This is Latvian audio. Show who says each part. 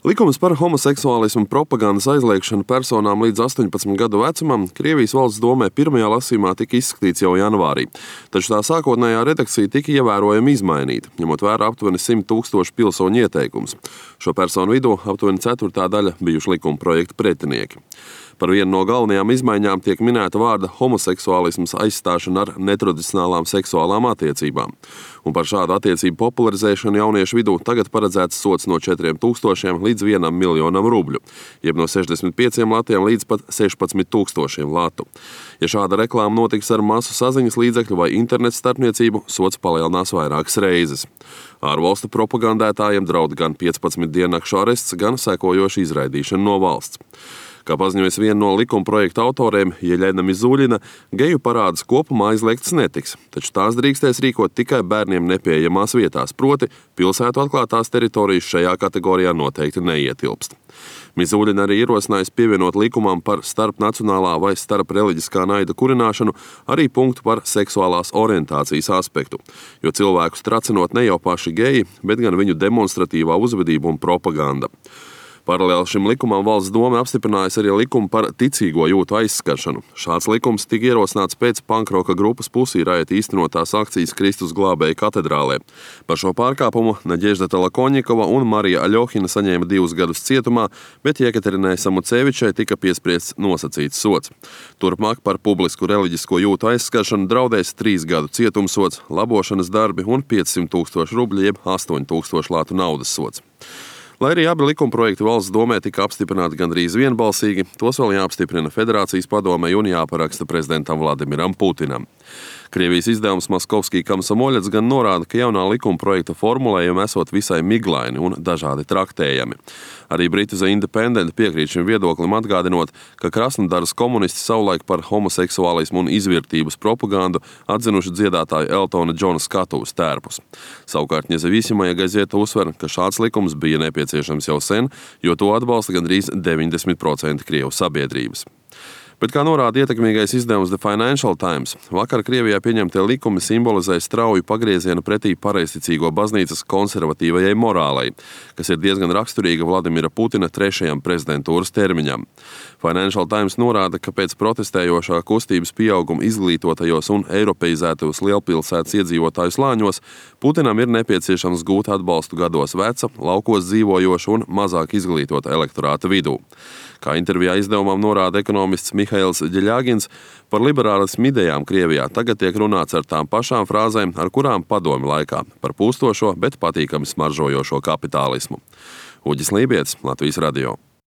Speaker 1: Likums par homoseksuālismu propagandas aizliegšanu personām līdz 18 gadu vecumam Krievijas valsts domē pirmajā lasījumā tika izskatīts jau janvārī, taču tā sākotnējā redakcija tika ievērojami izmainīta, ņemot vērā aptuveni 100 000 pilsoņu ieteikumus. Šo personu vidū aptuveni ceturtā daļa bijuši likuma projekta pretinieki. Par vienu no galvenajām izmaiņām tiek minēta vārda homoseksuālisms aizstāšana ar netradicionālām seksuālām attiecībām. Un par šādu attiecību popularizēšanu jauniešu vidū tagad paredzēts sods no 4000 līdz 1 miljonam rubļu, jeb no 65 latiem līdz pat 16 000 latu. Ja šāda reklāma notiks ar masu saziņas līdzekļu vai internetu starpniecību, sods palielinās vairākas reizes. Ārvalstu propagandētājiem draud gan 15 diennakšu arests, gan sekojoša izraidīšana no valsts. Kā paziņojas viena no likuma projekta autoriem, Jeļena Mizuļina, geju parādes kopumā aizliegtas netiks, taču tās drīkstēs rīkot tikai bērniem nepieejamās vietās, proti pilsētu atklātās teritorijas šajā kategorijā noteikti neietilpst. Mizuļina arī ierosinājusi pievienot likumam par starpnacionālā vai starpreliģiskā naida kurināšanu arī punktu par seksuālās orientācijas aspektu, jo cilvēkus tracinot ne jau paši geji, bet gan viņu demonstratīvā uzvedība un propaganda. Paralēli šim likumam valsts doma apstiprinājusi arī likumu par ticīgo jūtu aizskaršanu. Šāds likums tika ierosināts pēc pankroka grupas Pussy Riot īstenotās akcijas Kristus glābēja katedrālē. Par šo pārkāpumu Nadežda Tolokonnikova un Marija Aļohina saņēma 2 gadus cietumā, bet Jekaterinai Samucevičai tika piespriests nosacīts sods. Turpmāk par publisku reliģisko jūtu aizskaršanu draudēs 3 gadu cietumsods, labošanas darbi un 500 000 rubļu jeb 8000 latu naudas sods. Lai arī abi likumprojekti valsts domē tika apstiprināti gandrīz vienbalsīgi, tos vēl jāapstiprina Federācijas padomei un jāparaksta prezidentam Vladimiram Putinam. Krievijas izdevums Moskovskij Komsomoļets gan norāda, ka jaunā likumprojekta formulējumi esot visai miglaini un dažādi traktējami. Arī Britu The Independent piekrīt šim viedoklim, atgādinot, ka Krasnodaras komunisti savulaik par homoseksuālismu un izvērtības propagandu atzinuši dziedātāju Eltona Džona skatuves tērpus. Savukārt Nezavisimoja gazeta uzsver, ka šāds likums bija nepieciešams jau sen, jo to atbalsta gandrīz 90% Krievu sabiedrības. Bet, kā norāda ietekmīgais izdevums The Financial Times, vakar Krievijā pieņemtie likumi simbolizē strauju pagriezienu pretī pareizticīgo baznīcas konservatīvajai morālei, kas ir diezgan raksturīga Vladimira Putina 3. prezidentūras termiņam. Financial Times norāda, ka pēc protestējošā kustības pieauguma izglītotajos un eiropeizētajos lielpilsētas iedzīvotāju slāņos Putinam ir nepieciešams gūt atbalstu gados veca, laukos dzīvojošu un mazāk izglītota elektorāta vidū. Kā intervijā izdevumam norāda ekonomists Mihails Ģeļagins, par liberālismu idejām Krievijā tagad tiek runāts ar tām pašām frāzēm, ar kurām padomju laikā, par pūstošo, bet patīkami smaržojošo kapitālismu. Uģis Lībietis, Latvijas radio.